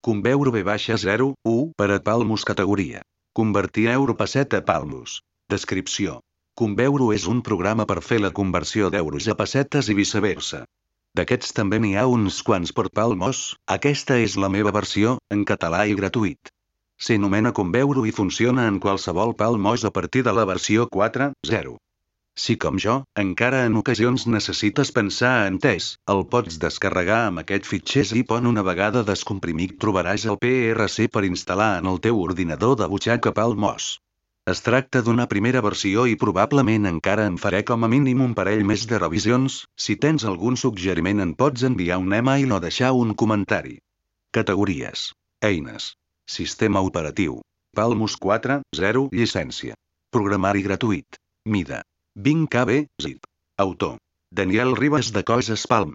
Conveure B-0, per a Palmus categoria. Convertir euro pesset a Palmus. Descripció. Conveure és un programa per fer la conversió d'euros a pessetes i viceversa. D'aquests també n'hi ha uns quants per Palmos, aquesta és la meva versió, en català i gratuït. S'anomena Conveure i funciona en qualsevol Palmos a partir de la versió 4.0. Si com jo, encara en ocasions necessites pensar en test, el pots descarregar amb aquest fitxer zip on una vegada descomprimit trobaràs el PRC per instal·lar en el teu ordinador de butxaca Palmos. Es tracta d'una primera versió i probablement encara en faré com a mínim un parell més de revisions, si tens algun suggeriment en pots enviar un email o deixar un comentari. Categories. Eines. Sistema operatiu. Palmus 4.0 llicència. Programari gratuït. Mida. 20 KB, zip. Autor. Daniel Ribas de Coses Palm.